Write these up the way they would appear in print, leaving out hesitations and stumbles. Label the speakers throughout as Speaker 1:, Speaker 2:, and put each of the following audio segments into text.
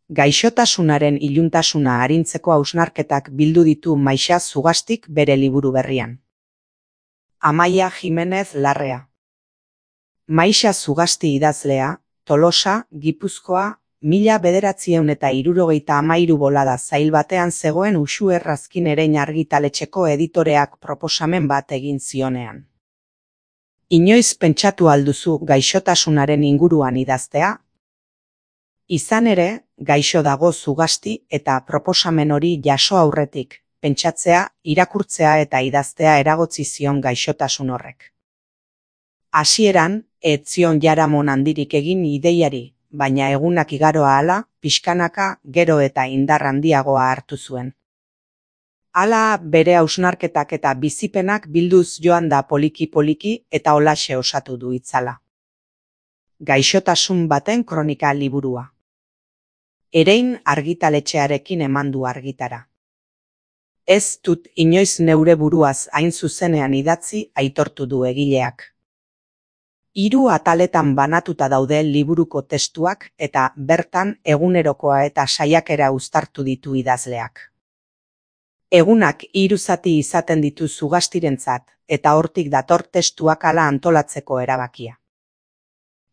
Speaker 1: Gaixotasunaren iluntasuna arintzeko hausnarketak bildu ditu Maixa Zugastik bere liburu berrian. Amaia Jimenez Larrea. Maixa Zugasti idazlea, Tolosa, Gipuzkoa, 1973 bolada zail batean zegoen Uxue Errazkin Erein argitaletxeko editoreak proposamen bat egin zionean. Inoiz pentsatu alduzu gaixotasunaren inguruan idaztea? Izan ere, gaixo dago Zugasti eta proposamen hori jaso aurretik, pentsatzea, irakurtzea eta idaztea eragotzi zion gaixotasun horrek. Hasieran, ez zion jaramon handirik egin ideiari, baina egunak igaro ahala, pixkanaka, gero eta indar handiagoa hartu zuen. Hala bere hausnarketak eta bizipenak bilduz joan da poliki-poliki eta holaxe osatu du itzala. Gaixotasun baten kronika liburua. Erein argitaletxearekin eman du argitara. Ez dut inoiz neure buruaz hain zuzenean idatzi, aitortu du egileak. 3 ataletan banatuta daude liburuko testuak eta bertan egunerokoa eta saiakera uztartu ditu idazleak. Egunak 3 zati izaten ditu Zugastirentzat eta hortik dator testuak hala antolatzeko erabakia.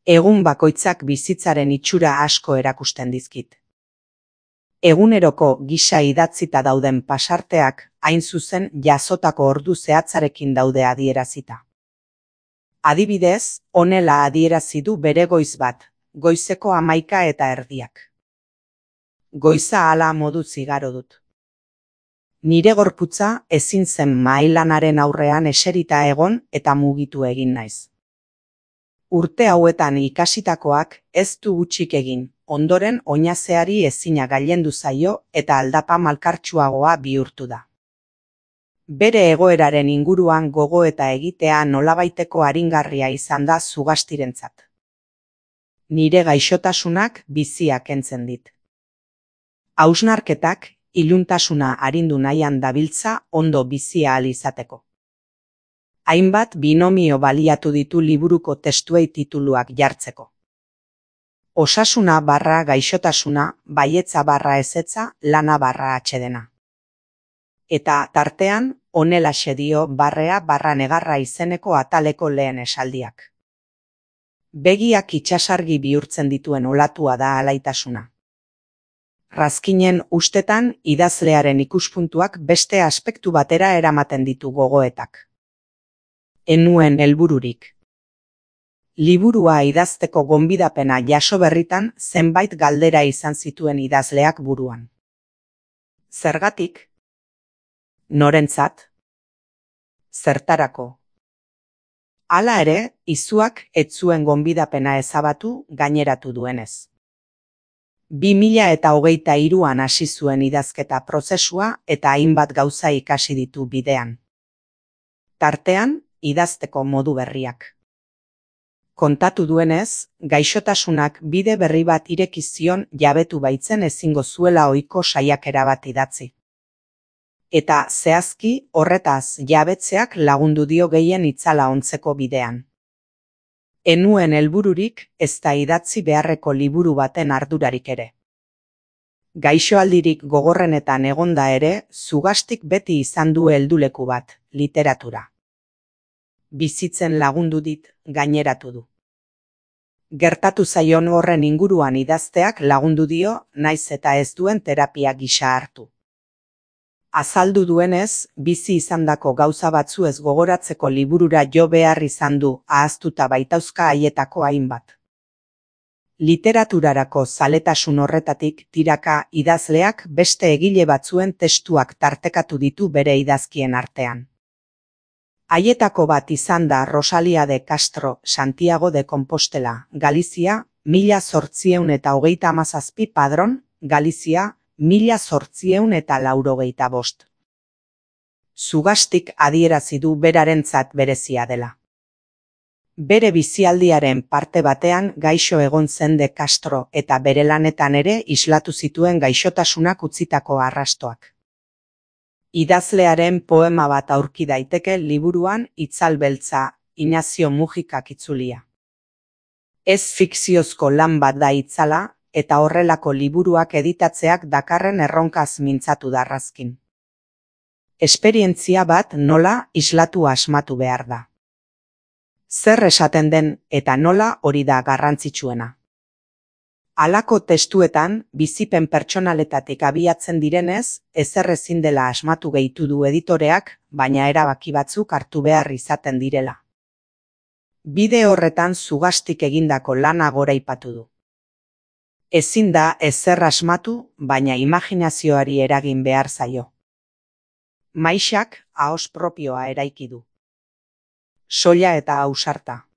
Speaker 1: Egun bakoitzak bizitzaren itxura asko erakusten dizkit. Eguneroko gisa idatzita dauden pasarteak hain zuzen jasotako ordu zehatzarekin daude adierazita. Adibidez, honela adierazi du bere goiz bat, goizeko 11:30. Goiza hala moduz igaro dut. Nire gorputza ezin zen mahailanaren aurrean eserita egon eta mugitu egin naiz. Urte hauetan ikasitakoak ez du hutsik egin, ondoren oinazeari ezina gailendu zaio eta aldapa malkartsuagoa bihurtu da. Bere egoeraren inguruan gogoeta egitea nolabaiteko aringarria izan da Zugastirentzat. Nire gaixotasunak bizia kentzen dit. Hausnarketak iluntasuna arindu nahian dabiltza ondo bizia ahal izateko. Hainbat binomio baliatu ditu liburuko testuei tituluak jartzeko. Osasuna barra gaixotasuna, baietza barra ezetza, lana barra atsedena. Eta tartean, honelaxe dio barrea barra negarra izeneko ataleko lehen esaldiak. Begiak itsasargi bihurtzen dituen olatua da alaitasuna. Razkinen ustetan idazlearen ikuspuntuak beste aspektu batera eramaten ditu gogoetak. Enuen helbururik. Liburua idazteko gonbidapena jaso berritan zenbait galdera izan zituen idazleak buruan. Zergatik? Norentzat? Zertarako? Hala ere, izuak ez zuen gonbidapena ezabatu gaineratu duenez. 2023an hasi zuen idazketa prozesua eta hainbat gauza ikasi ditu bidean. Tartean, idazteko modu berriak. Kontatu duenez, gaixotasunak bide berri bat ireki zion jabetu baitzen ezingo zuela ohiko saiakera bat idatzi. Eta zehazki horretaz jabetzeak lagundu dio gehien itzala ontzeko bidean. Enuen helbururik ez da idatzi beharreko liburu baten ardurarik ere. Gaixoaldirik gogorrenetan egonda ere, Zugastik beti izan du helduleku bat, literatura. Bizitzen lagundu dit, gaineratu du. Gertatu zaion horren inguruan idazteak lagundu dio, naiz eta ez duen terapia gisa hartu. Azaldu duenez, bizi izandako gauza batzu ez gogoratzeko liburura jo behar izan du, ahaztuta baitauzka haietako hainbat. Literaturarako zaletasun horretatik tiraka idazleak beste egile batzuen testuak tartekatu ditu bere idazkien artean. Haietako bat izan da Rosalia de Castro, Santiago de Compostela, Galizia, 1837 Padron, Galizia, 1885. Zugastik adierazi du berarentzat berezia dela. Bere bizialdiaren parte batean gaixo egon zen de Castro eta bere lanetan ere islatu zituen gaixotasunak utzitako arrastoak. Idazlearen poema bat aurki daiteke liburuan Itzal beltza, Ignacio Mujikak itzulia. Ez fikziozko lan bat da itzala, eta horrelako liburuak editatzeak dakarren erronkaz mintzatu da Raskin. Esperientzia bat nola islatu asmatu behar da. Zer esaten den eta nola hori da garrantzitsuena. Halako testuetan, bizipen pertsonaletatik abiatzen direnez, ezer ezin dela asmatu gehitu du editoreak, baina erabaki batzuk hartu behar izaten direla. Bide horretan zugastik egindako lana goraipatu du. Ezin da ezer asmatu, baina imaginazioari eragin behar zaio. Maixak ahos propioa eraiki du. Soila eta ausarta.